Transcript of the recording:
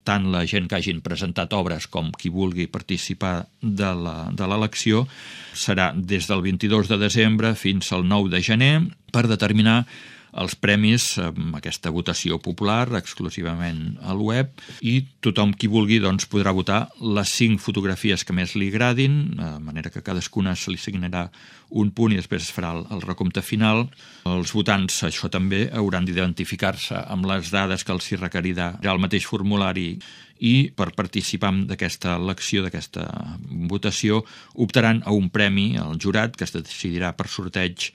tant la gent que hagin presentat obres com qui vulgui participar de l'elecció. Serà des del 22 de desembre fins al 9 de gener per determinar els premis amb aquesta votació popular exclusivament al web, i tothom qui vulgui podrà votar les 5 fotografies que més li agradin, de manera que cadascuna se li assignarà un punt i després es farà el recompte final. Els votants, això també, hauran d'identificar-se amb les dades que els hi requerirà el mateix formulari, i per participar d'aquesta elecció, d'aquesta votació, optaran a un premi al jurat que es decidirà per sorteig